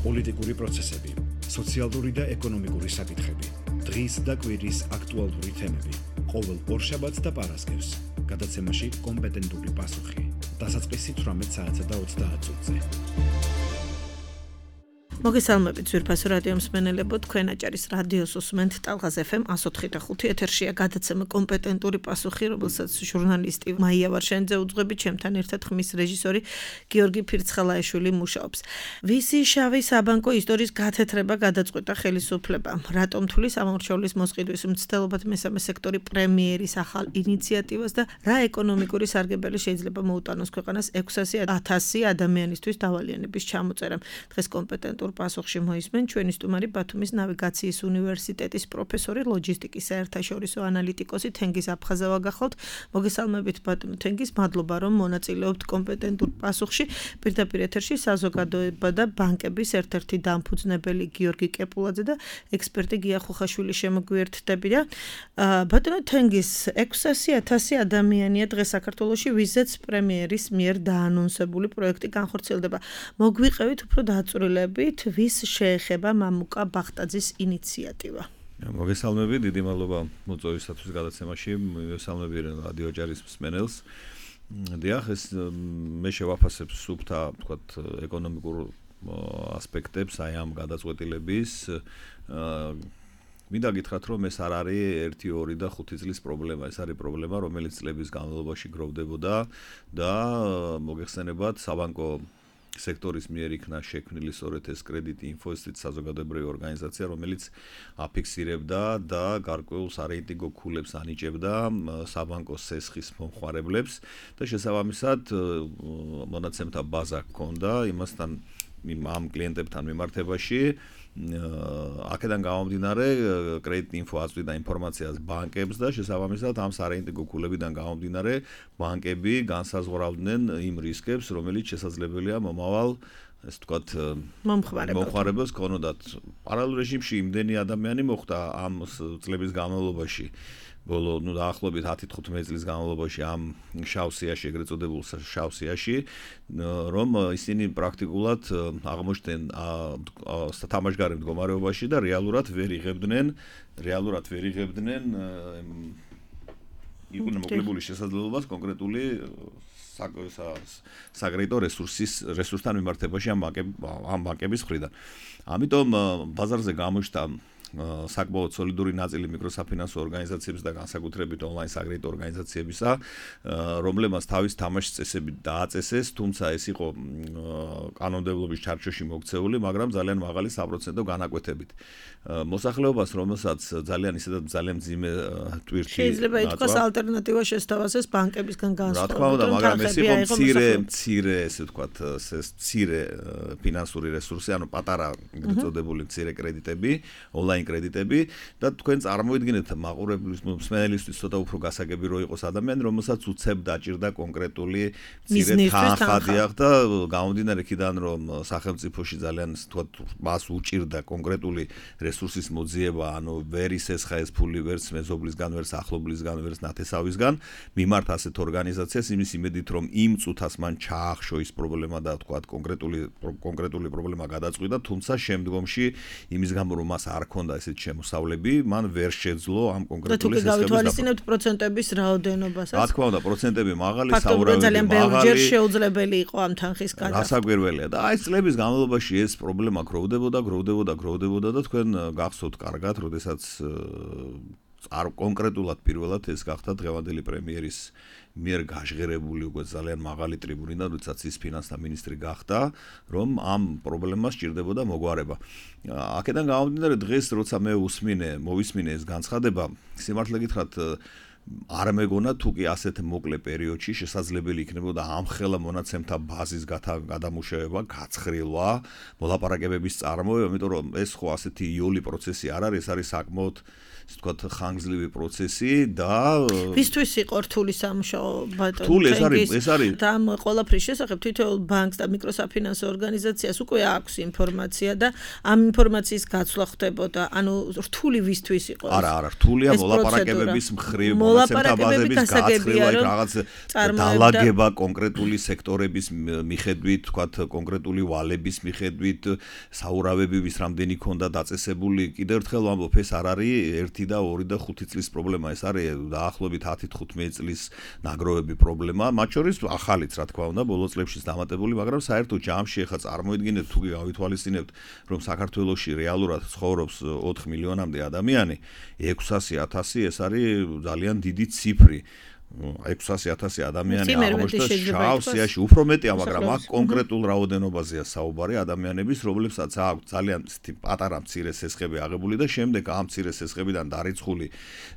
პოლიტიკური პროცესები, სოციალური და ეკონომიკური საკითხები, დღის და კვირის აქტუალური თემები, ყოველ ორშაბათს და პარასკევს, გადაცემაში კომპეტენტური პასუხი, დასაწყისი 18 საათსა და 30 წუთზე. მოგესალმებით ძვირფასო რადიო მსმენელებო, თქვენ აჭარის რადიოს უსმენთ ტალღაზ FM 104.5 ეთერშია გადაცემა კომპეტენტური პასუხი, რომელსაც ჟურნალისტი მაია ვარშენიძე უძღვები, ჩემთან ერთად ხმის რეჟისორი გიორგი ფირცხალაიშვილი მუშაობს. ვისი შავი საბანკო ისტორიის გათეთრება გადაწყვეტა ხელისუფლებამ? რატომ თვლის ამორჩევლის მოსყიდვის მცდელობად მესამე სექტორი პრემიერის ახალ ინიციატივას და რა ეკონომიკური სარგებელი შეიძლება მოუტანოს ქვეყანას 600,000 ადამიანისთვის დავალიანების ჩამოწერამ? დღეს კომპეტენტურ პასუხში მოისმენ ჩვენი სტუმარი ბათუმის ნავიგაციის უნივერსიტეტის პროფესორი, ლოჯისტიკის საერთაშორისო ანალიტიკოსი თენგიზ აფხაზავა გახლავთ. მოგესალმებით ბატონო თენგიზ, მადლობა რომ მონაწილეობთ კომპეტენტურ პასუხში. პირდაპირ ეთერში საზოგადოება და ბანკების ერთ-ერთი დამფუძნებელი გიორგი კეპულაძე და ექსპერტი გია ხუხაშვილი შემოგვიერთდებიან. ბატონო თენგიზ, 600,000 ადამიანია დღეს საქართველოში, ვიზაც პრემიერის მიერ დაანონსებული პროექტი განხორციელდება. მოგვიყევით უფრო დაწვრილებით, ვის შეეხება მამუკა ბახტაძის ინიციატივა? მოგესალმებით, დიდი მადლობა მოწვევისათვის გადაცემაში, მოგესალმებით რადიო აჭარის მსმენელს. დიახ, ეს მე შევაფასებ სუფთა, ვთქვათ, ეკონომიკურ ასპექტებს აი ამ გადაწყვეტილების. მინდა გითხრათ, რომ ეს არ არის 1, 2 და 5 წლის პრობლემა, ეს არის პრობლემა, რომელიც წლების განმავლობაში გროვდებოდა და მოგეხსენებათ საბანკო სექტორის მიერ იქნა შექმნილი სწორედ ეს კრედიტი ინვესტიციის საზოგადოებრივი ორგანიზაცია, რომელიც აფიქსირებდა და გარკვეულ სარეიტინგო ქულებს ანიჭებდა საბანკო სესხის მომხმარებლებს და შესაბამისად მონაცემთა ბაზა ჰქონდა იმასთან ამ კლიენტებთან მიმართებაში. აქედან გამომდინარე კრედიტ ინფო აწვდიდა ინფორმაციას ბანკებს და შესაბამისად ამ სარეიტინგო ქულებიდან გამომდინარე ბანკები განსაზღვრავდნენ იმ რისკებს, რომელიც შესაძლებელია მომავალ ეს ვთქვათ მომხმარებელს ქონოდათ. პარალელურ რეჟიმში იმდენი ადამიანი მოხვდა ამ წლების განმავლობაში, ბოლო დაახლოებით 10-15 წლის განმავლობაში ამ შავ სიაში, ეგრეთ წოდებულ შავ სიაში, რომ ისინი პრაქტიკულად აღმოჩნდნენ თამაშგარე მდგომარეობაში და რეალურად ვერ იღებდნენ იყვნენ მოკლებული შესაძლებლობას კონკრეტული საკრედიტო რესურსთან მიმართებაში ამ ბანკების მხრიდან. ამიტომ ბაზარზე გამოჩნდა საკმაოდ სოლიდური ნაწილი მიკროსაფინანსო ორგანიზაციების და განსაკუთრებით ონლაინ საკრედიტო ორგანიზაციებისა, რომლებმაც თავის თამაშის წესები დააწესეს, თუმცა ეს იყო კანონმდებლობის ჩარჩოში მოქცეული, მაგრამ ძალიან მაღალი საპროცენტო განაკვეთებით. მოსახლეობას, რომელსაც ძალიან მძიმე ტვირთი შეიძლება ითქვას ალტერნატივა შესთავაზეს ბანკებისგან განსხვავებით. რა თქმა უნდა, მაგრამ ეს იყო მცირე, ესე ვთქვათ, მცირე ფინანსური რესურსი, ანუ პატარა ეგრეთ წოდებული მცირე კრედიტები, ონლაინ კრედიტები და თქვენ წარმოიდგინეთ მაყურებლის მსმენელისთვის ცოტა უფრო გასაგები რო იყოს ადამიანი, რომელსაც უცებ დაჭირდა კონკრეტული მცირე თანხა და გამომდინარე იქიდან რომ სახელმწიფოში ძალიან ვთქვათ მას უჭირდა კონკრეტული რესურსის მოძიება, ანუ ვერ ისესხა ეს ფული ვერც მეზობლისგან, ვერც ახლობლისგან, ვერც ნათესავისგან, მიმართ ასეთ ორგანიზაციას იმის იმედით რომ იმ წუთას მან ჩაახშო ის პრობლემა და ვთქვათ კონკრეტული პრობლემა გადაწყვიტა, თუმცა შემდგომში იმის გამო რომ მას არ ქონდა ესეთ შემოსავლები, მან ვერ შეძლო ამ კონკრეტული სისტემის გავითვალისწინებთ პროცენტების რაოდენობასაც. რა თქმა უნდა, პროცენტები მაღალი, საურავი ძალიან ბევრჯერ შეუძლებელი იყო ამ თანხის გადახდა. რასაკვირველია და აი წლების განმავლობაში ეს პრობლემა გროვდებოდა და თქვენ გახსოვთ კარგად, როდესაც კონკრეტულად პირველად ეს გახდა დღევანდელი პრემიერის მიერ გაჟღერებული უკვე ძალიან მაღალი ტრიბუნიდან, როდესაც ის ფინანსთა მინისტრი გახდა, რომ ამ პრობლემას სჭირდებოდა მოგვარება. აქედან გამომდინარე დღეს როცა მე მოვისმინე ეს განცხადება, სიმართლე გითხრათ არ მეგონა თუ კი ასეთ მოკლე პერიოდში შესაძლებელი იქნებოდა ამხელა მონაცემთა ბაზის გადამუშავება, გაცხრილვა, მოლაპარაკებების წარმოება, იმიტომ რომ ეს ხო ასეთი იოლი პროცესი არ არის, ეს არის საკმაოდ ისე ვთქვათ ხანგრძლივი პროცესი და ვისთვის იყო რთული სამუშაო ბატონო? რთული ეს არის და ამ ყველაფრის შესახებ თითოეულ ბანკს და მიკროსაფინანსო ორგანიზაციას უკვე აქვს ინფორმაცია და ამ ინფორმაციის გაცვლა ხდებოდა. ანუ რთული ვისთვის იყო? არა, რთულია მოლაპარაკებების მხრივ, მოლაპარაკებები გასაგებია, რომ რაღაც დალაგება კონკრეტული სექტორების მიხედვით, თქვათ კონკრეტული ვალების მიხედვით, საურავები ვის რამდენი ქონდა დაწესებული, კიდევ ერთხელ ვამბობ, ეს არ არის 1 და 2 და 5 წლის პრობლემა, ეს არის დაახლოებით 10-15 წლის ნაგროვები პრობლემა, მათ შორის ახალიც რა თქმა უნდა, ბოლო წლებშიც დამატებული, მაგრამ საერთოდ ჯამში ახლა წარმოიდგინეთ თუ გავითვალისწინებთ, რომ საქართველოში რეალურად ცხოვრობს 4 მილიონამდე ადამიანი, 600,000 ეს არის ძალიან დიდი ციფრი. 600,000 ადამიანი აღმოჩნდა შავ სიაში, უფრო მეტია, მაგრამ აქ კონკრეტულ რაოდენობაზეა საუბარი ადამიანების, რომლებსაც აქვს ძალიან პატარა მცირე სესხები აღებული და შემდეგ ამ მცირე სესხებიდან დარიცხული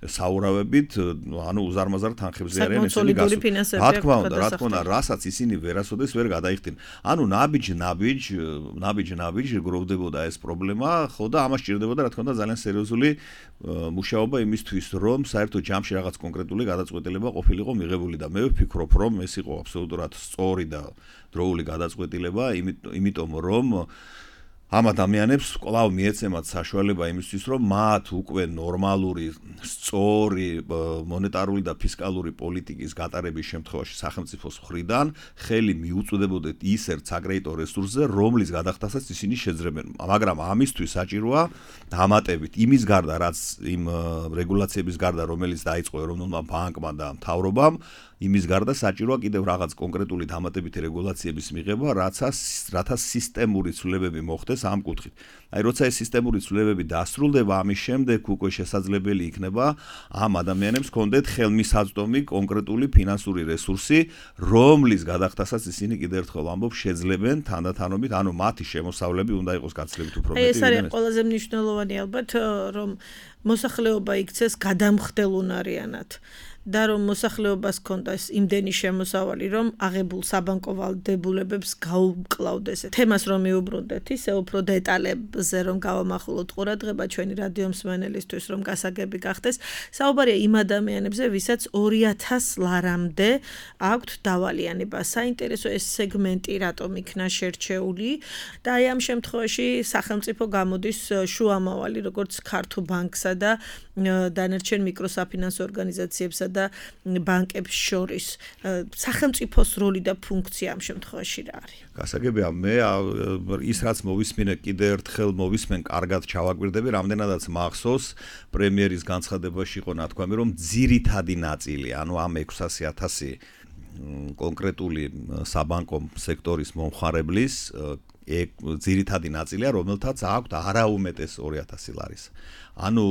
საურავებით, ანუ უზარმაზარ თანხებზე არიან ესენი გასული. რა თქმა უნდა, რასაც ისინი ვერასოდეს ვერ გადაიხდნენ. ანუ ნაბიჯ გროვდებოდა ეს პრობლემა, ხო და ამას ჭირდებოდა რა თქმა უნდა ძალიან სერიოზული მუშაობა იმისთვის, რომ საერთოდ ჯამში რაღაც კონკრეტული გადაწყვეტილება ყოფილიყო მიღებული და მე ვფიქრობ, რომ ეს იყო აბსოლუტურად სწორი და დროული გადაწყვეტილება, იმიტომ რომ ამ ადამიანებს კვლავ მიეცემათ საშუალება იმისთვის, რომ მათ უკვე ნორმალური, სწორი მონეტარული და ფისკალური პოლიტიკის გატარების შემთხვევაში სახელმწიფოს მხრიდან ხელი მიუწვდებოდეთ ის ერთ საკრედიტო რესურსზე, რომლის გადახდასაც ისინი შეძლებენ. მაგრამ ამისთვის საჭიროა დამატებით იმის გარდა, რაც იმ რეგულაციების გარდა, რომელიც დაიწყო ეროვნულმა ბანკმა და მთავრობამ, იმის გარდა საჭიროა კიდევ რაღაც კონკრეტული დამატებითი რეგულაციების მიღება, რათა სისტემური ცვლილებები მოხდეს ამ კუთხით. აი, როცა ეს სისტემური ცვლილებები დასრულდება, ამის შემდეგ უკვე შესაძლებელი იქნება ამ ადამიანებს ჰქონდეთ ხელმისაწვდომი კონკრეტული ფინანსური რესურსი, რომლის გადახდასაც ისინი კიდევ ერთხელ ვამბობ, შეძლებენ თანდათანობით, ანუ მათი შემოსავლები უნდა იყოს გაცილებით უფრო მეტი. ეს არის ყველაზე მნიშვნელოვანი ალბათ, რომ მოსახლეობა იქცეს გადამხდელუნარიანად. და რომ მოსახლეობას ჰქონდეს იმდენი შემოსავალი, რომ აღებულ საბანკო ვალდებულებებს გაუკლავდეს. თემას რომ მიუბრუნდეთ, ისე უფრო დეტალებზე რომ გავამახვილოთ ყურადღება ჩვენი რადიო მსმენელისთვის, რომ გასაგები გახდეს, საუბარია იმ ადამიანებზე, ვისაც 2,000 ლარამდე აქვთ დავალიანება. საინტერესო ეს სეგმენტი რატომ იქნა შერჩეული და აი ამ შემთხვევაში სახელმწიფო გამოდის შუამავალი, როგორც ქართულ ბანკსა და დანარჩენ მიკროსაფინანსო ორგანიზაციებსა და ბანკებს შორის სახელმწიფოს როლი და ფუნქცია ამ შემთხვევაში რა არის? გასაგებია, მე ის რაც მოვისმინე კიდე ერთხელ მოვისმენ, კარგად ჩავაკვირდები, რამდენადაც მახსოვს პრემიერის განცხადებაში იყო ნათქვამი, რომ ძირითადი ნაწილი, ანუ ამ 600,000 კონკრეტული საბანკო სექტორის მომხმარებლის ძირითადი ნაწილია, რომელთაც აქვთ არაუმეტეს 2,000 ლარის. ანუ,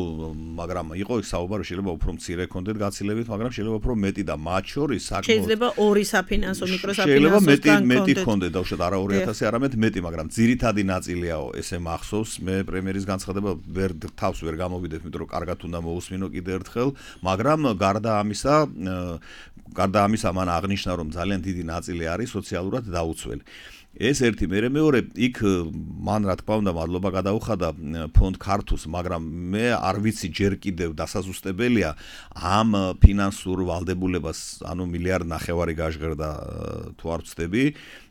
მაგრამ იყო საუბარი, შეიძლება უფრო მცირე ქონდეთ გაცილებით, მაგრამ შეიძლება უფრო მეტი და მათ შორის შეიძლება 2 საფინანსო მიკროსაფინანსო შეიძლება მეტი ქონდეთ, დაუშვათ არა 2,000, არამედ მეტი, მაგრამ ძირითადი ნაწილიაო, ესე მახსოვს, მე პრემიერის განცხადება თავს ვერ გამოვიდეთ, იმიტომ რომ კარგად უნდა მოусმინო კიდე ერთხელ, მაგრამ გარდა ამისა მან აღნიშნა, რომ ძალიან დიდი ნაწილი არის სოციალურად დაუცველი. ეს ერთი, მეორე, იქ მან რა თქმა უნდა მადლობა გადაუხადა ფონდ ქართულს, მაგრამ მე არ ვიცი ჯერ კიდევ დასაზუსტებელია ამ ფინანსურ ვალდებულებას, ანუ 1,5 მილიარდი გაჟღერდა თუ არ ვცდები,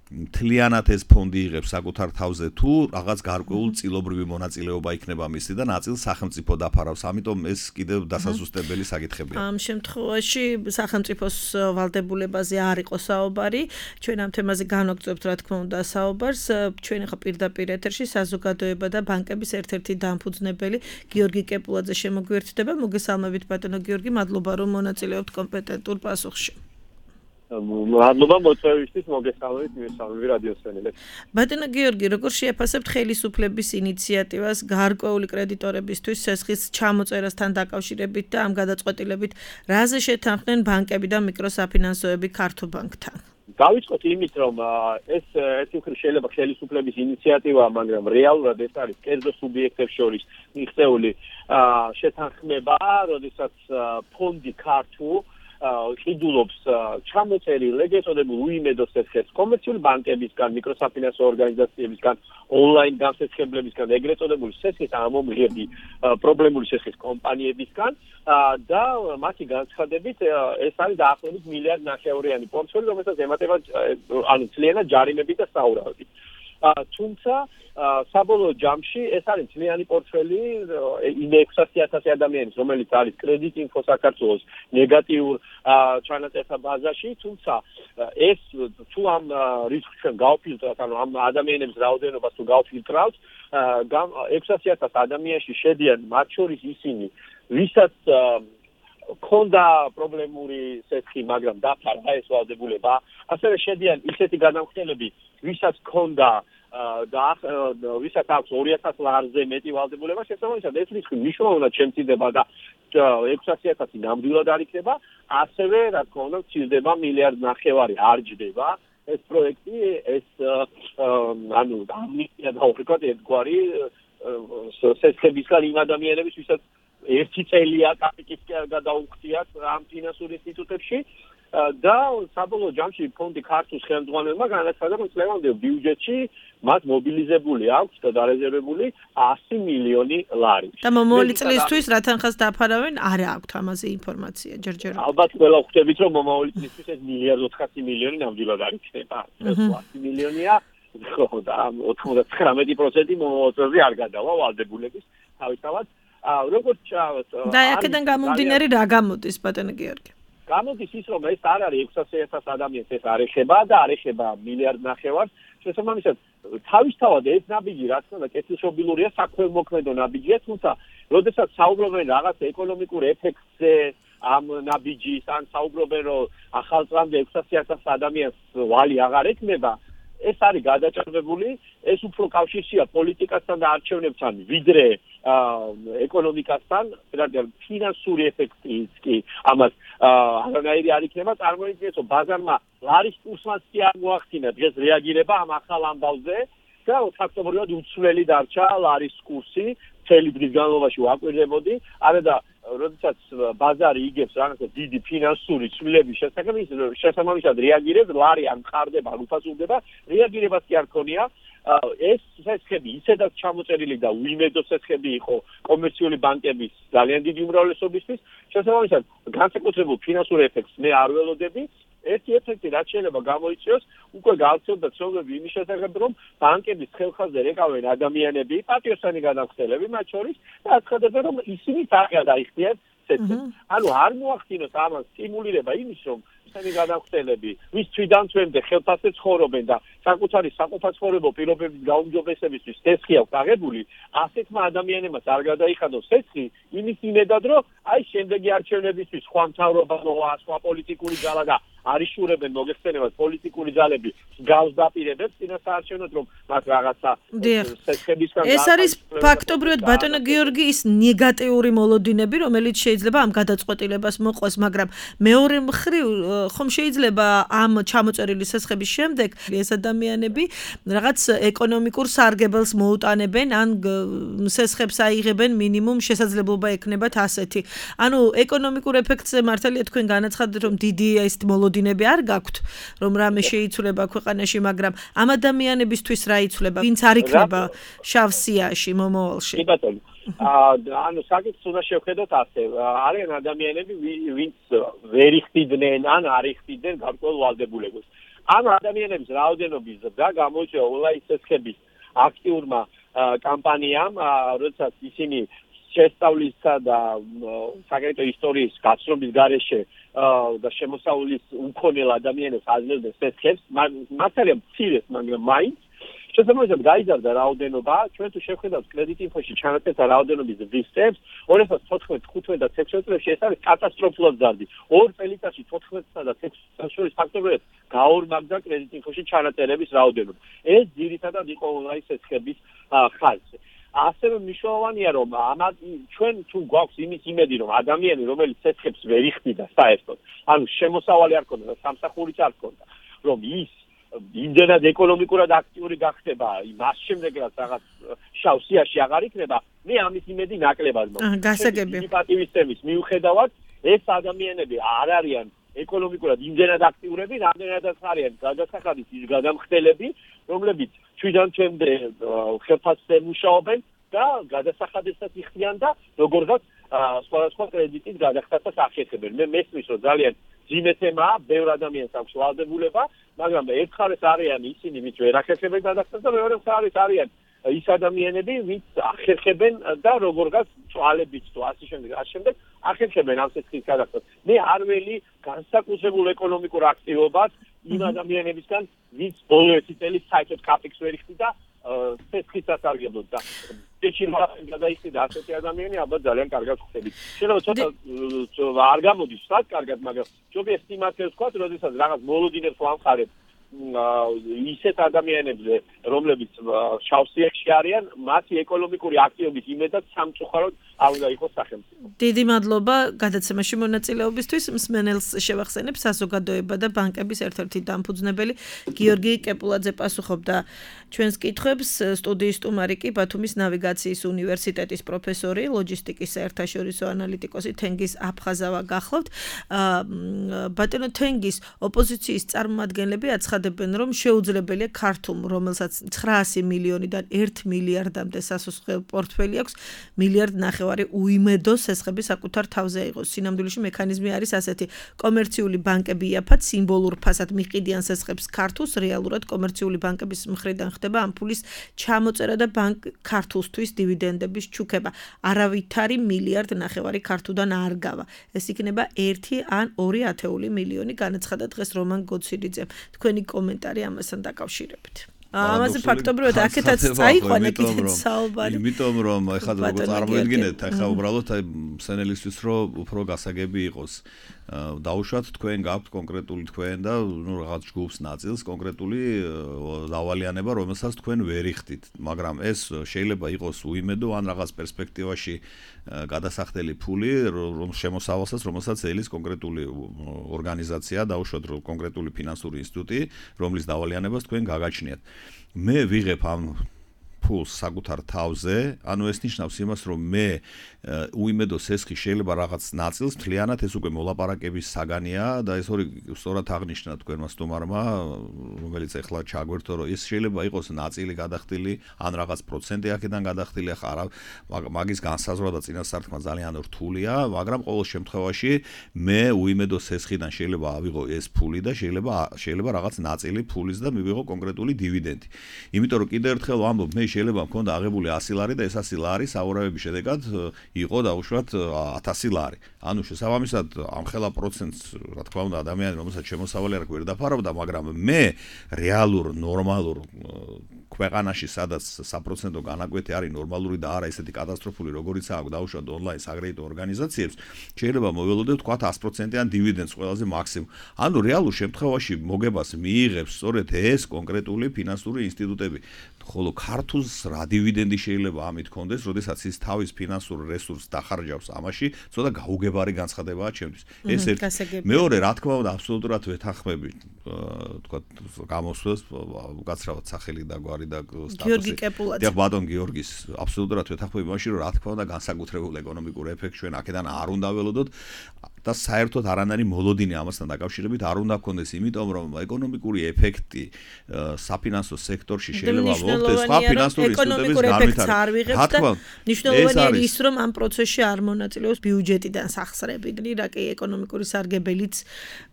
მთლიანად ეს ფონდი იღებს საკუთარ თავზე თუ რაღაც გარკვეულ წილობრივი მონაწილეობა იქნება მისი და ნაწილს სახელმწიფო დაფარავს, ამიტომ ეს კიდევ დასაზუსტებელი საკითხებია. ამ შემთხვევაში სახელმწიფოს ვალდებულებაზე არ იყო საუბარი, ჩვენ ამ თემაზე განვაგრძობთ რა თქმა უნდა საუბარს, ჩვენ ახლა პირდაპირ ეთერში საზოგადოება და ბანკების ერთ-ერთი დამფუძნებელი გიორგი კეპულაძე შემოგვიერთდება. მოგესალმებით ბატონო გიორგი, მადლობა რომ მონაწილეობთ კომპეტენტურ პასუხში. მადლობა მოწვევისთვის, მოგესალმებით მისალმები რადიო მსმენელებს. ბატონო გიორგი, როგორ შეაფასებთ ხელისუფლების ინიციატივას გარკვეული კრედიტორებისთვის სესხის ჩამოწერასთან დაკავშირებით და ამ გადაწყვეტილებით, რაზე შეთანხმდნენ ბანკები და მიკროსაფინანსოები ქართულ ბანკთან? დავიწყოთ იმით, რომ ეს ერთი მხრივ შეიძლება ხელისუფლების ინიციატივაა, მაგრამ რეალურად ეს არის კერძო სუბიექტებს შორის მიღწეული შეთანხმება, როდესაც ფონდი ქართულ ყიდულობს ჩამოწერილ ეგრეთ წოდებულ უიმედო სესხებს კომერციული ბანკებისგან, მიკროსაფინანსო ორგანიზაციებისგან, ონლაინ გამსესხებლებისგან, ეგრეთ წოდებული სესხის ამომღები პრობლემული სესხის კომპანიებისგან და მათი განცხადებით ეს არის დაახლოებით 1,5 მილიარდი პორტფელი, რომელსაც ემატება ანუ ძალიანად ჯარიმები და საურავები. თუმცა საბოლოო ჯამში ეს არის ძლიერი პორტფელი იმ 600,000 ადამიანის, რომელიც არის კრედიტ ინფო საქართველოს ნეგატიურ ჩანაწერთა ბაზაში, თუმცა ეს თუ ამ რისკს ჩვენ გავფილტრავთ, ანუ ამ ადამიანების რაოდენობას თუ გავფილტრავთ, 600,000 ადამიანში შედიან მათ შორის ისინი, ვისაც ქონდა პრობლემური სესხი, მაგრამ დაფარა ეს ვალდებულება, ასევე შედიან ისეთი გადამხდელები, ვისაც ქონდა და ვისაც აქვს 200 ლარზე მეტი ვალდებულება, შესაბამისად ეს რისკი მნიშვნელოვნად შემცირდება და 600,000 ნამდვილად არ იქნება, ასევე რა თქმა უნდა მცირდება 1.5 მილიარდი არ ჯდება ეს პროექტი, ეს ანუ ამნისტია და უბრალოდ ერთგვარი სესხებისგან იმ ადამიანების, ვისაც ერთი წელია კაპიტის გადაუხდიათ ამ ფინანსურ ინსტიტუტებში და საბოლოო ჯამში ფონდი ქართულ ხელმძღვანელმა განაცხადა, რომ წლევანდელ ბიუჯეტში მათ მობილიზებული აქვს და დარეზერვებული 100 მილიონი ლარი. და მომავალი წლისთვის რა თანხას დაფარავენ, არ აქვთ ამაზე ინფორმაცია ჯერჯერობით. ალბათ ყველა ხვდებით, რომ მომავალი წლისთვის ეს 1.400 მილიარდი ნამდვილად არ იქნება. 100 მილიონია, ხო და 99% მომავალ წელზე არ გადავა ვალდებულების თავისთავად. როგორც და აქედან გამომდინარე რა გამოდის ბატონო გიორგი? გამოდის ის, რომ ეს არ არის 600,000 ადამიანს ეს არ ეხება და არ ეხება 1.5 მილიარდს. შესაბამისად, თავისთავად ეს ნაბიჯი, რა თქმა უნდა, კეთილშობილურია, საქველმოქმედო ნაბიჯია, თუმცა, როდესაც საუბრობენ რაღაც ეკონომიკურ ეფექტზე ამ ნაბიჯის, ან საუბრობენ, რომ ახალწლამდე 600,000 ადამიანს ვალი აღარ ექნება, ეს არის გადაჭარბებული, ეს უფრო კავშირშია პოლიტიკასთან და არჩევნებთან, ვიდრე ეკონომიკასთან, რადგან ფინანსური ეფექტიც კი ამას არანაირი არ იქნება, წარმოიდგინეთ, რომ ბაზარმა ლარის კურსმაც კი არ მოახდინა დღეს რეაგირება ამ ახალ ამბავზე და ფაქტობრივად უცვლელი დარჩა ლარის კურსი, მთელი დღის განმავლობაში ვაკვირდებოდი, არა და როდესაც ბაზარი იგებს რაღაცა დიდი ფინანსური ცვლილების შესახებ, ის შესაბამისად რეაგირებს, ლარი არ მყარდება, არ უფასურდება, რეაგირებას კი არ ქონია. ეს სესხები ისედაც ჩამოწერილი და უიმედო სესხები იყო კომერციული ბანკების ძალიან დიდი უმრავლესობისთვის, შესაბამისად განსაკუთრებულ ფინანსურ ეფექტს მე არ ველოდები. ერთი ეფექტი რაც შეიძლება გამოიწვიოს, უკვე გავრცელდა ცნობები იმის შესახებ, რომ ბანკების ხელხაზზე რეკავენ ადამიანები, პატიოსანი გადამხდელები მათ შორის და აცხადებენ, რომ ისინი არ გადაიხდიან სესხებს. ანუ არ მოახდინოს ამას სტიმულირება იმის, რომ ისინი გადამხდელები, ვის თვიდან თვემდე ხელფასზე ცხოვრობენ და საკუთარი საყოფაცხოვრებო პირობების გაუმჯობესებისთვის სესხი აქვს აღებული, ასეთმა ადამიანებმა არ გადაიხადოს სესხი, იმის იმედად, რომ აი შემდეგი არჩევნებისთვის სხვა მთავრობა მოვა, სხვა პოლიტიკური ძალა და არიშურებენ მოგეხსენებათ პოლიტიკური ძალები გავს დაპირებებს წინასაარჩევნოდ, რომ მათ რაღაცა სესხებისგან ეს არის ფაქტობრივად ბატონო გიორგი ის ნეგატიური მოლოდინები, რომელიც შეიძლება ამ გადაწყვეტილებას მოყვეს, მაგრამ მეორე მხრივ ხომ შეიძლება ამ ჩამოწერილი სესხების შემდეგ ეს ადამიანები რაღაც ეკონომიკურ სარგებელს მოუტანებენ ან სესხებს აიღებენ მინიმუმ შესაძლებლობა ექნებათ ასეთი. ანუ ეკონომიკურ ეფექტზე მართალია თქვენ განაცხადეთ, რომ დიდი ეს მოლოდინები არ გაქვთ, რომ რამე შეიცვლება ქვეყანაში, მაგრამ ამ ადამიანებისთვის რა იცვლება, ვინც არ იქნება შავ სიაში მომავალში? კი ბატონო. ანუ საკითხს უნდა შევხედოთ ასე. არიან ადამიანები, ვინც ვერ იხდიდნენ ან არ იხდიდნენ გარკვეულ ვალდებულებას. ამ ადამიანების რაოდენობის და გამოიწვია ონლაინ სესხების აქტიურმა კამპანიამ, როდესაც ისინი შესწავლისა და საკრედიტო ისტორიის გაცნობის გარეშე და შემოსავლის უმქონელ ადამიანებს აძლევდნენ სესხებს, მართალია მცირეს, მაგრამ მაინც შესაბამისად გაიზარდა რაოდენობა, ჩვენ თუ შევხედავთ კრედიტ ინფოში ჩანაწერთა რაოდენობის ვისტებს, 2014, 15 და 16 წლებში ეს არის კატასტროფულად ზარდი. ორ წელიწადში 14-სა და 16 შორის ფაქტობრივად გაორმაგდა კრედიტ ინფოში ჩანაწერების რაოდენობა. ეს ძირითადად იყო ონლაინ სესხების ხაზზე. ასევე მნიშვნელოვანია, რომ ჩვენ თუ გვაქვს იმის იმედი, რომ ადამიანი, რომელიც სესხებს ვერ იხდიდა საერთოდ, ანუ შემოსავალი არ ქონდა და სამსახურიც არ ქონდა, რომ ის იმდენად ეკონომიკურად აქტიური გახდება, მას შემდეგ რაც რაღაც შავ სიაში აღარ იქნება, მე ამის იმედი ნაკლებად მაქვს. გასაგები. პატივისცემის მიუხედავად, ეს ადამიანები არ არიან ეკონომიკურად იმდენად აქტიურები, რამდენადაც არიან გადასახადის ის გადამხდელები, რომლებიც თვიდან თვემდე ხელფასზე მუშაობენ და გადასახადებსაც იხდიან და როგორღაც სხვადასხვა კრედიტის გადახდასაც ახერხებენ. მე მესმის, რომ ძალიან ძიმეთემა ბევრ ადამიანს აქვს ვალდებულება, მაგრამ ერთხელ არიან ისინი, ვინც ვერ ახერხებენ გადახდას და მეორე მხარეს არიან ის ადამიანები, ვინც ახერხებენ და როგორღაც წვალებით თუ ასე შემდეგ ახერხებენ ამ სიცხის გადახდას. მე არ ველი განსაკუთრებულ ეკონომიკურ აქტივობას იმ ადამიანებისგან, ვინც ბოლო 1 წელი საერთოდ კაპიქს ვერ იხდიდა სიცხის სასარგებლოდ და შეიძლება გადაიხდიდა ასეთი ადამიანი, ალბათ ძალიან კარგად ხდებით. შეიძლება ცოტა არ გამოდის շատ კარგად, მაგრამ ჯობია ესტიმაციას ვქოთ, როდესაც რაღაც მოლოდინებს ვამხარებ ისეთ ადამიანებზე, რომლებიც შავსიებში არიან, მათი ეკონომიკური აქტივობის იმედად სამწუხაროდ არ უნდა იყოს სახელმწიფო. დიდი მადლობა გადაცემაში მონაწილეობისთვის. მსმენელს შევახსენებ, საზოგადოება და ბანკების ერთ-ერთი დამფუძნებელი გიორგი კეპულაძე პასუხობდა ჩვენს კითხვებს. სტუდიის სტუმარი კი ბათუმის ნავიგაციის უნივერსიტეტის პროფესორი, ლოჯისტიკის საერთაშორისო ანალიტიკოსი თენგიზ აფხაზავა გახლავთ. ბატონო თენგიზ, ოპოზიციის წარმომადგენლები აცხადებენ, რომ შეუძლებელია ქართულ, რომელსაც 900 მილიონიდან 1 მილიარდამდე სასუსხო პორტფელი აქვს, მილიარდ ნახევარი უიმედო სესხები საკუთარ თავზე აიღოს. სინამდვილეში მექანიზმი არის ასეთი: კომერციული ბანკები იაფად სიმბოლურ ფასად მიყიდიან სესხებს ქართულს, რეალურად კომერციული ბანკების მხრიდან ხდება ამ ფულის ჩამოწერა და ბანკ ქართულსთვის დივიდენდების ჩუქება. არავითარი მილიარდ ნახევარი ქართულიდან არ გავა. ეს იქნება 1 ან 2 ათეული მილიონი, განაცხადა დღეს რომან გოცირიძემ. თქვენი კომენტარი ამასთან დაკავშირებით. ამაზე ფაქტობრივად აქეთაც წაიყვანა კიდეც საუბარი. იმიტომ რომ ეხლა როგორ წარმოიდგინეთ, ეხლა უბრალოდ მსენელისთვის რომ უფრო გასაგები იყოს. დაუშვათ თქვენ გაქვთ კონკრეტული თქვენ და რაღაც ჯგუფს ნაწილს კონკრეტული დავალიანება, რომელსაც თქვენ ვერ იხდით, მაგრამ ეს შეიძლება იყოს უიმედო ან რაღაც პერსპექტივაში გადასახდელი ფული, რომ შემოსავალსაც, რომელსაც ელის კონკრეტული ორგანიზაცია, დაუშვათ კონკრეტული ფინანსური ინსტიტუტი, რომლის დავალიანებას თქვენ გაგაჩნიათ. მე ვიღებ ამ ფულს საკუთარ თავზე, ანუ ეს ნიშნავს იმას, რომ მე უიმედო სესხი შეიძლება რაღაც ნაწილს მთლიანად ეს უკვე მოლაპარაკების საგანია და ეს ორი სწორად აღნიშნა თქვენმა სტუმარმა, რომელიც ეხლა ჩაგვერთო, რომ ეს შეიძლება იყოს ნაწილი გადახდილი, ან რაღაც პროცენტი აქედან გადახდილი, ახლა მაგის განსაზღვრა და წინასწარმეტყვა ძალიან რთულია, მაგრამ ყოველ შემთხვევაში მე უიმედო სესხიდან შეიძლება ავიღო ეს ფული და შეიძლება რაღაც ნაწილი ფულის და მივიღო კონკრეტული დივიდენდი. იმიტომ რომ კიდევ ერთხელ ვამბობ, მე შეიძლება მქონდა აღებული 100 ლარი და ეს 100 ლარი საურავების შედეგად იყო დაუშვათ 1000 ლარი. ანუ შესაბამისად ამ ხელა პროცენტს, რა თქმა უნდა, ადამიანი, რომელსაც შემოსავალი არ გვერდა ფარავდა, მაგრამ მე რეალურ ნორმალურ ქვეყანაში, სადაც საპროცენტო განაკვეთი არის ნორმალური და არა ესეთი კატასტროფული, როგორიც აქვს დაუშვათ ონლაინ საგრეიტო ორგანიზაციებს, შეიძლება მოველოდე ვთქვათ 100%-იან დივიდენდს ყველაზე მაქსიმუმ. ანუ რეალურ შემთხვევაში მოგებას მიიღებს სწორედ ეს კონკრეტული ფინანსური ინსტიტუტები. ხოლო ქართულს რა დივიდენდი შეიძლება ამით კონდეს, როდესაც ის თავის ფინანსურ რესურსს დახარჯავს ამაში, ცოტა გაუგებარი განცხადებაა ჩემთვის. ეს ერთი. მეორე, რა თქმა უნდა, აბსოლუტურად ვეთანხმები, თქვა გამოსვლას, უკაცრავად სახელი და გვარი და სტატუსი. გიორგი კეპულაძე. და ბატონ გიორგის აბსოლუტურად ვეთანხმები მაშინ, რომ რა თქმა უნდა, განსაკუთრებულ ეკონომიკურ ეფექტს ჩვენ აქედან არ უნდა ველოდოთ და საერთოდ არანაირი მოლოდინი ამასთან დაკავშირებით არ უნდა გქონდეს, იმიტომ რომ ეკონომიკური ეფექტი საფინანსო სექტორში შეიძლება მოხდეს სხვა ფინანსური ინსტიტუტების განვითარებით. რა თქმა უნდა, მნიშვნელოვანია ის, რომ ამ პროცესში არ მონაწილეობს ბიუჯეტიდან სახსრები, რაკი ეკონომიკური სარგებელიც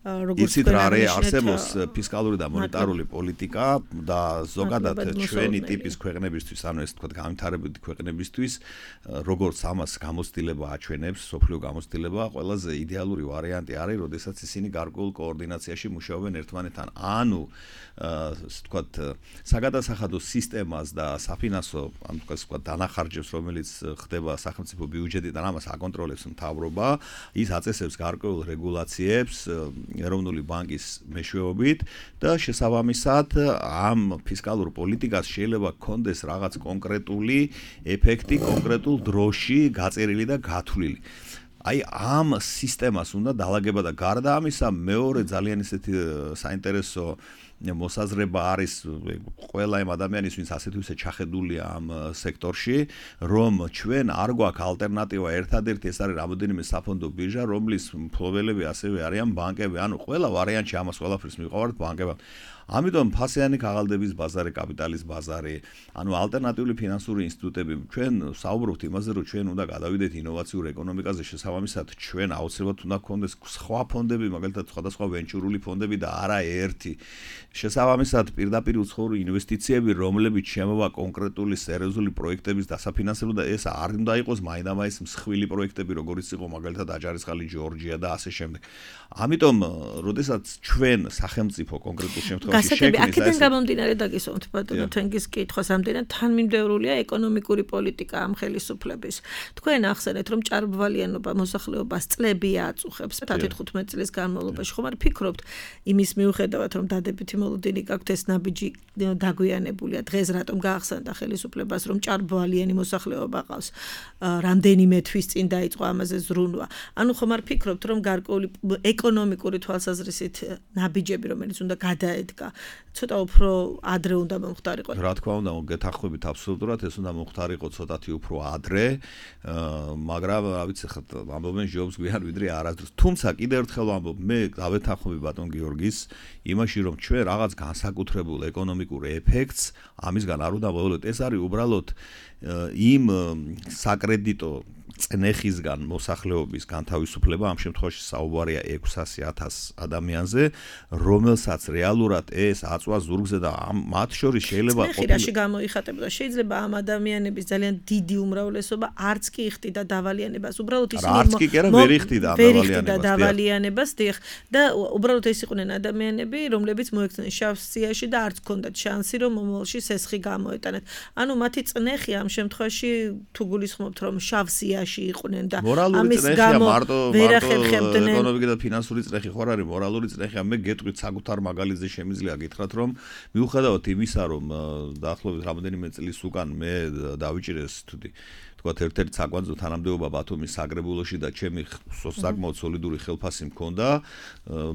როგორც იცით რა არის, არსებობს ფისკალური და მონეტარული პოლიტიკა და ზოგადად ჩვენი ტიპის ქვეყნებისთვის, ანუ ეს თქვა განვითარებადი ქვეყნებისთვის, როგორც ამას გამოცდილება აჩვენებს, სოფლიო გამოცდილება, ყველაზე იდეალური ვარიანტი არის, როდესაც ისინი გარკვეულ კოორდინაციაში მუშაობენ ერთმანეთთან. ანუ თქვათ საგადასახადო სისტემას და საფინანსო, ანუ თქვათ დანახარჯებს, რომელიც ხდება სახელმწიფო ბიუჯეტიდან, ამას აკონტროლებს მთავრობა, ის აწესებს გარკვეულ რეგულაციებს ეროვნული ბანკის მეშვეობით და შესაბამისად ამ ფისკალურ პოლიტიკას შეიძლება გქონდეს რაღაც კონკრეტული ეფექტი კონკრეტულ დროში გაწერილი და გათვლილი. აი ამ სისტემას უნდა დაალაგება და გარდა ამისა მეორე ძალიან ისეთი საინტერესო მოსაზრება არის ყველა იმ ადამიანის, ვინც ასეთ ვისე ჩახედულია ამ სექტორში, რომ ჩვენ არ გვაქვს ალტერნატივა, ერთადერთი ეს არის რამოდენიმე საფონდო ბირჟა, რომლის მფლობელები ასევე არიან ბანკები, ანუ ყველა ვარიანტში ამას ყველაფერს მივყავართ ბანკებად. ამიტომ ფასიანი ქაღალდების ბაზარი, კაპიტალის ბაზარი, ანუ ალტერნატიული ფინანსური ინსტიტუტები, ჩვენ საუბრობთ იმაზე, რომ ჩვენ უნდა გადავიდეთ ინოვაციურ ეკონომიკაზე, შესაბამისად, ჩვენ აუცილებლად უნდა გქონდეს სხვა ფონდები, მაგალითად, სხვადასხვა ვენჩურული ფონდები და არა ერთი. შესაბამისად, პირდაპირ უცხოური ინვესტიციები, რომლებიც შემოვა კონკრეტული სერიოზული პროექტების დასაფინანსებლად და ეს არ უნდა იყოს მაინდამაინც მსხვილი პროექტები, როგორიც იყო მაგალითად აჭარისწყალი, ჯორჯია და ასე შემდეგ. ამიტომ, როდესაც ჩვენ სახელმწიფო კონკრეტულ შემთხვევაში გასაგები, აქედან გამომდინარე დაგისვამთ ბატონო თენგის კითხვას, ამდენად თანმიმდევრულია ეკონომიკური პოლიტიკა ამ ხელისუფლების. თქვენ ახსენეთ, რომ ჭარბვალიანობა მოსახლეობას წლები აწუხებს 10-15 წლის განმავლობაში. ხომ არ ფიქრობთ იმის მიუხედავად, რომ დადებითი მოლოდინი გაქვთ ეს ნაბიჯი დაგვიანებულია. დღეს რატომ გაახსენდა ხელისუფლებას, რომ ჭარბვალიანი მოსახლეობა ყავს? რამდენიმე თვის წინ დაიწყო ამაზე ზრუნვა. ანუ ხომ არ ფიქრობთ, რომ გარკვეული ეკონომიკური თვალსაზრისით ნაბიჯები, რომელიც უნდა გადაედგა, ცოტა უფრო ადრე უნდა მომხდარიყო. რა თქმა უნდა, გეთანხმებით აბსოლუტურად, ეს უნდა მომხდარიყო ცოტათი უფრო ადრე, მაგრამ რა ვიცი ხა ამბობენ ჯობს გვიან ვიდრე არასდროს. თუმცა კიდევ ერთხელ ვამბობ, მე დავეთანხმები ბატონ გიორგის იმაში, რომ ჩვენ რაღაც განსაკუთრებულ ეკონომიკურ ეფექტს ამისგან არ უნდა მოვიღოთ. ეს არის უბრალოდ იმ საკრედიტო წნეხისგან მოსახლეობის განთავისუფლება, ამ შემთხვევაში საუბარია 600,000 ადამიანზე, რომელსაც რეალურად ეს აწვა ზურგზე და მათ შორის შეიძლება ყოფილიყო გამოიხატებოდა. შეიძლება ამ ადამიანების ძალიან დიდი უმრავლესობა არც კი იხდიდა დავალიანებას, უბრალოდ ისინი არც კი არა ვერ იხდიდა დავალიანებას, დიახ, და უბრალოდ ეს იყვნენ ადამიანები, რომლებიც მოექცნენ შავ სიაში და არც ჰქონდათ შანსი, რომ მომავალში სესხი გამოეტანათ. ანუ მათი წნეხი ამ შემთხვევაში თუ გულისხმობთ, რომ შავ სიაში იყვნენ და ამის გამო ვერ ახერხებდნენ ეკონომიკური და ფინანსური წნეხი ხო არ არის მორალური წნეხი. მე გეტყვით საკუთარ მაგალითზე შემიძლია გითხრათ, რომ მიუხედავად იმისა, რომ დაახლოებით რამოდენიმე წლის უკან მე დავიჭირე სტუდი თქვათ ერთ-ერთი საკვანძო თანამდებობა ბათუმის საგრებულოში და ჩემი საკმაოდ სოლიდური ხელფასი მქონდა.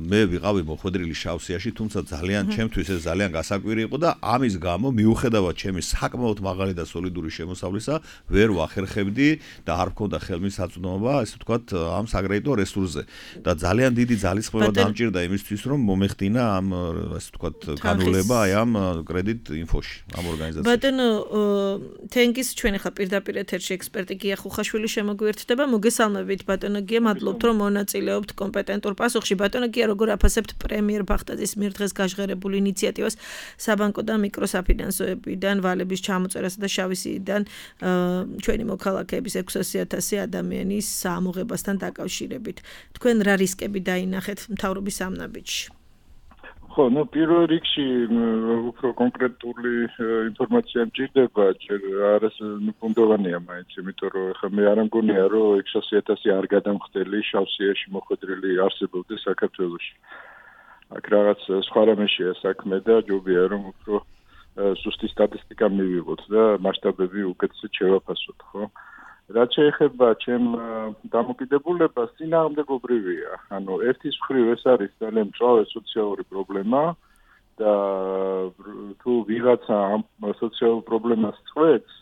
მე ვიყავი მოხვედრილი შავსიაში, თუმცა ძალიან ჩემთვის ეს ძალიან გასაკვირი იყო და ამის გამო მიუხედავად ჩემი საკმაოდ მაღალი და სოლიდური შემოსავლისა, ვერ ვახერხებდი და არ მქონდა ხელმისაწვდომობა, ესე ვთქვათ, ამ საკრედიტო რესურსზე. და ძალიან დიდი ძალისხმევა დამჭირდა იმისთვის, რომ მომეხდინა ამ ესე ვთქვათ, განულება აი ამ კრედიტ ინფოში, ამ ორგანიზაციაში. ბატონო თენგის ჩვენ ახლა პირდაპირ ეთერში ექსპერტი გია ხუხაშვილი შემოგვიერთდება. მოგესალმებით ბატონო გია, მადლობთ რომ მონაწილეობთ კომპეტენტურ პასუხში. ბატონო გია, როგორ აფასებთ პრემიერ ბახტაძის მიერ დღეს გაჟღერებულ ინიციატივას საბანკო და მიკროსაფინანსოებიდან ვალების ჩამოწერასა და შავისიდან ჩვენი მოქალაქეების 600,000 ადამიანის ამოღებასთან დაკავშირებით. თქვენ რა რისკები დაინახეთ მთავრობის ამ ნაბიჯში? ხო, პირველ რიგში უფრო კონკრეტული ინფორმაცია მჭირდება, ჯერ არის ნებუნდოვანია მაინც, იმიტომ რომ ხა მე არ მგონია, რომ 600,000 არ გადამხდელი შავსიაში მოხვედრილი არსებობდეს საქართველოში. აქ რაღაც სხვა რამეშია საქმე და ჯობია რომ უფრო სუსტი სტატისტიკა მივიღოთ და მასშტაბები უკეთესად შევაფასოთ, ხო? რაც შეეხება ჩემ დამოკიდებულებას, წინააღმდეგობრივია. ანუ ერთის მხრივ ეს არის ძალიან მწვავე სოციალური პრობლემა და თუ ვიღაცა ამ სოციალურ პრობლემას წვეთს,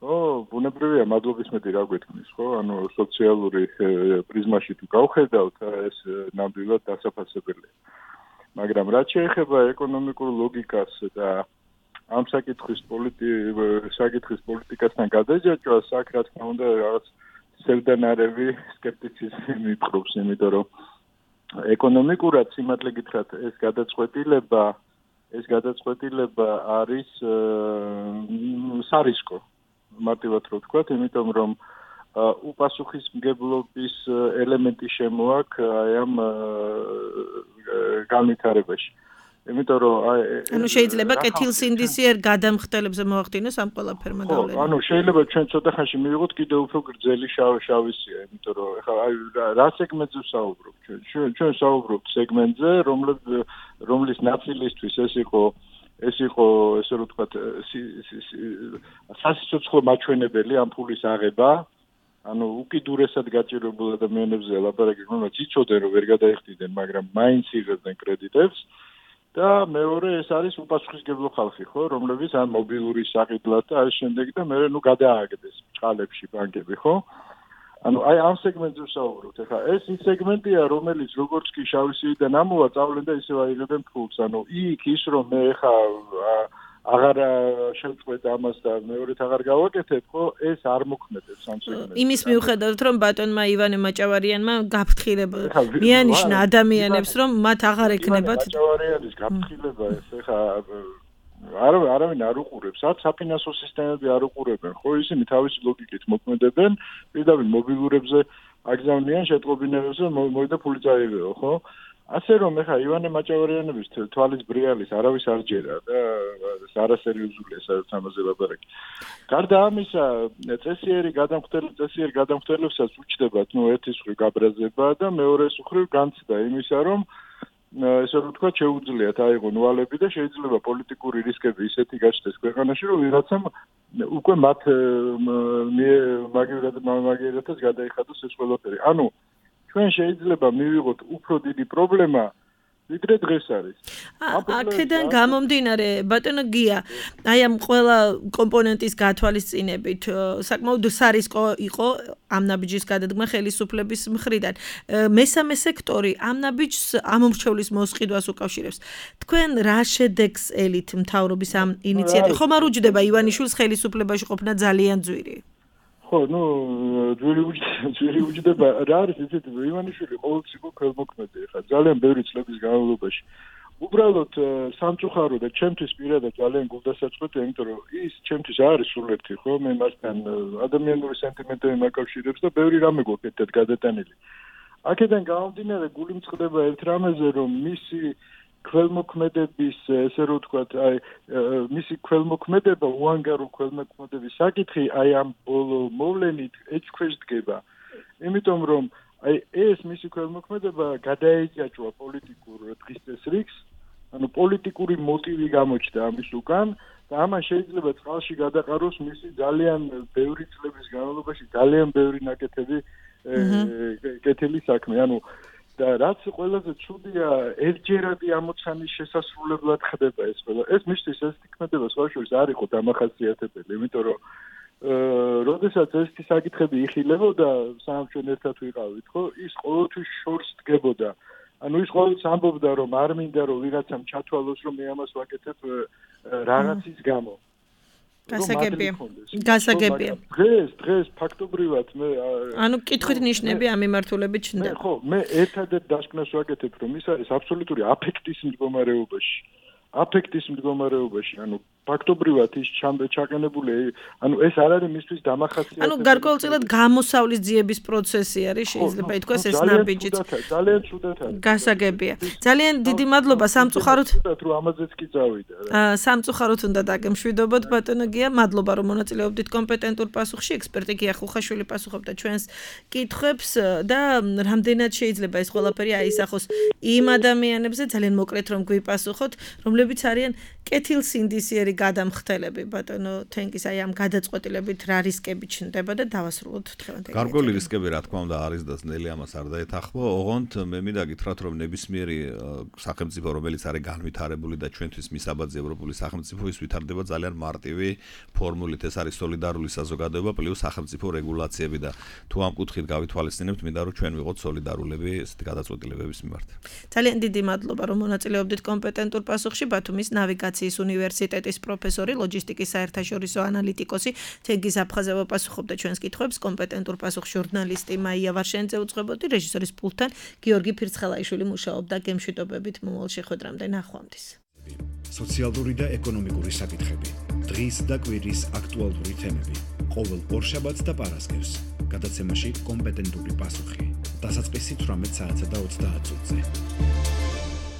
ხო, ბუნებრივია მადლობისმეტი რა გვეთქმის, ხო? ანუ სოციალური პრიზმაში თუ გავხედავთ, ეს ნამდვილად დასაფასებელია. მაგრამ რაც შეეხება ეკონომიკურ ლოგიკას და ამ საკითხის პოლიტიკასთან გადაჯაჭვას, აქ რა თქმა უნდა რაღაც სევდანარევი სკეპტიციზმი მიპყრობს, იმიტომ რომ ეკონომიკურად სიმართლე გითხრათ, ეს გადაწყვეტილება არის სარისკო, მარტივად რო ვთქვათ, იმიტომ რომ უპასუხისმგებლობის ელემენტი შემოაქვს აი ამ განვითარებაში. იმიტომ რომ ანუ შეიძლება კეთილსინდისიერ გადამხდელებზე მოახდინოს ამ ყველაფერმა დავლენა. ანუ შეიძლება ჩვენ ცოტა ხანში მივიღოთ კიდევ უფრო გრძელი შავისია, იმიტომ რომ ეხლა აი რა სეგმენტზე ვსაუბრობ ჩვენ საუბრობთ სეგმენტზე, რომლის ნაწილისთვის ეს იყო ესე რომ ვთქვათ სასიცოცხლო მაჩვენებელი ამ ფულის აღება, ანუ უკიდურესად გაჭირებულ ადამიანებზე ლაპარაკი, რომელსაც იცოდნენ რომ ვერ გადაიხდიდნენ, მაგრამ მაინც იღებდნენ კრედიტებს. და მეორე ეს არის უპასუხისმგებლო ხალხი, ხო, რომლებიც ან მობილური საყიდლად და ამ შემდეგ და მე გადააგდეს წყალებში ბანკები, ხო? ანუ აი ამ სეგმენტზე ვსაუბრობთ. ეხლა ეს ის სეგმენტია, რომელიც როგორც კი შავისიდან ამოვა, წავლენ და ისევ აიღებენ ფულს. ანუ იქ ის რომ მე ეხლა აღარ შევწყვეტ ამას და მეორედ აღარ გავაკეთებ, ხო, ეს არ მოქმედებს ამ სეგმენტში. იმის მიუხედავად, რომ ბატონმა ივანე მაჭავარიანმა გაფრთხილება მიანიშნა ადამიანებს, რომ მათ აღარ ექნებათ მაჭავარიანის გაფრთხილება ეს ეხლა არავინ არ უყურებს, არც საფინანსო სისტემები არ უყურებენ, ხო, ისინი თავისი ლოგიკით მოქმედებენ, პირდაპირ მობილურებზე აგზავნიან შეტყობინებებზე, მოიდა ფული წაიღეო, ხო? ასე რომ ეხა ივანე მაჭავარიანების თვალის ბრიალის არავის არ ჯერა და არასერიოზულია საერთოდ ამაზე ლაპარაკი. გარდა ამისა, წესიერი გადამხდელებსაც უჩნდებათ, ერთის მხრივ გაბრაზება და მეორეს მხრივ განცდა იმისა, რომ ესე რომ თქვა შეუძლიათ აიღონ ვალები და შეიძლება პოლიტიკური რისკები ისეთი გაჩნდეს ქვეყანაში, რომ ვიღაცამ უკვე მათ მაგერათაც გადაიხადოს ეს ყველაფერი. ანუ ჩვენ შეიძლება მივიღოთ უფრო დიდი პრობლემა ვიდრე დღეს არის. აქედან გამომდინარე, ბატონო გია, აი ამ ყველა კომპონენტის გათვალისწინებით, საკმაოდ სარისკო იყო ამ ნაბიჯის გადადგმა ხელისუფლების მხრიდან. მესამე სექტორი ამ ნაბიჯს ამომრჩევლის მოსყიდვას უკავშირებს. თქვენ რა შედეგს ელით მთავრობის ამ ინიციატივას? ხომ არ უჯდება ივანიშვილს ხელისუფლებაში ყოფნა ძალიან ძვირი? ხო, ძვირი უჯდება, რა არის ისეთი, ივანიშვილი ყოველთვის იყო ქველმოქმედი, ხა ძალიან ბევრი წლების განმავლობაში. უბრალოდ სამწუხარო და ჩემთვის პირადად ძალიან გულდასაწყვეტია, იმიტომ რომ ის ჩემთვის არის სულ-ერთი, ხო, მე მასთან ადამიანური სენტიმენტები მაკავშირებს და ბევრი რამე გვაქვს ერთად გადატანილი. აქედან გამომდინარე, გული მწყდება ერთ რამეზე, რომ მისი ქველმოქმედების, ესე რომ ვთქვათ, აი მისი ქველმოქმედება, უანგარო ქველმოქმედების საკითხი აი ამ ბოლო მოვლენით ეჭქვეშ დგება. იმიტომ რომ აი ეს მისი ქველმოქმედება გადაეჭაჭვა პოლიტიკურ დღის წესრიგს, ანუ პოლიტიკური მოტივი გამოჩნდა ამის უკან და ამან შეიძლება წყალში გადაყაროს მისი ძალიან ბევრი წლების განმავლობაში ძალიან ბევრი ნაკეთები კეთილი საქმე. ანუ და რაც ყველაზე ცუდია, ერთჯერადი ამოცანის შესასრულებლად ხდება ეს ყველა. ეს მისთვის ეს თქმედება სხვაშორის არ იყო დამახასიათებელი, იმიტომ რომ როდესაც ესეთი საკითხები იხილებოდა, საამჩვენ ერთად ვიყავით, ხო, ის ყოველთვის შორს დგებოდა. ანუ ის ყოველთვის ამბობდა, რომ არ მინდა რომ ვიღაცამ ჩათვალოს, რომ მე ამას ვაკეთებ რაღაცის გამო. გასაგებია. დღეს ფაქტობრივად მე ანუ კითხვით ნიშნები ამ მიმართულებით ჩნდება. ხო, მე ერთადერთ დასკვნას ვაკეთებ, რომ ის არის აბსოლუტური აფექტის მდგომარეობაში. ანუ ფაქტობრივად ის ჩაყენებული, ანუ ეს არ არის მისთვის დამახასიათებელი. ანუ გარკვეულწილად გამოსავლის ძიების პროცესი არის, შეიძლება ითქვას ეს ნაბიჯიც. ძალიან ცუდად არის. გასაგებია. ძალიან დიდი მადლობა სამწუხაროდ. რომ ამაზეც კი წავიდა რა. სამწუხაროდ უნდა დაგემშვიდობოთ ბატონო გია, მადლობა რომ მონაწილეობდით კომპეტენტურ პასუხში. ექსპერტი გია ხუხაშვილი პასუხობდა ჩვენს კითხვებს და რამდენად შეიძლება ეს ყველაფერი აისახოს იმ ადამიანებზე, ძალიან მოკლედ რომ გვიპასუხოთ, რომლებიც არიან კეთილსინდისიერი გადამხდელები, ბატონო თენგის აი ამ გადაწყვეტილებით რა რისკები ჩნდება და დავასრულოთ დღევანდელი. გარკვეული რისკები რა თქმა უნდა არის და ძნელი ამას არ დაეთანხმო. ოღონდ მე მინდა გითხრათ, რომ ნებისმიერი სახელმწიფო, რომელიც არის განვითარებული და ჩვენთვის მისაბაძი ევროპული სახელმწიფო, ის ვითარდება ძალიან მარტივი ფორმულით. ეს არის სოლიდარული საზოგადოება პლუს სახელმწიფო რეგულაციები და თუ ამ კუთხით გავითვალისწინებთ, მინდა რომ ჩვენ ვიყოთ სოლიდარულები ესეთი გადაწყვეტილებების მიმართ. ძალიან დიდი მადლობა რომ მონაწილეობდით კომპეტენტურ პასუხში. ბათუმის ნავიგაციის უნივერსიტეტის პროფესორი, ლოჯისტიკის საერთაშორისო ანალიტიკოსი თენგიზ აფხაზევა პასუხობდა ჩვენს კითხვებს. კომპეტენტურ პასუხს ჟურნალისტი მაია ვარშენიძე უძღვებოდი, რეჟისორის პულტთან გიორგი ფირცხალაიშვილი მუშაობდა. გემშვიდობებით მომავალ შეხვედრამდე, ნახვამდის. სოციალური და ეკონომიკური საკითხები, დღის და კვირის აქტუალური თემები, ყოველ ორშაბათს და პარასკევს, გადაცემაში კომპეტენტური პასუხი. დასაწყისი 18 საათსა და 30 წუთზე.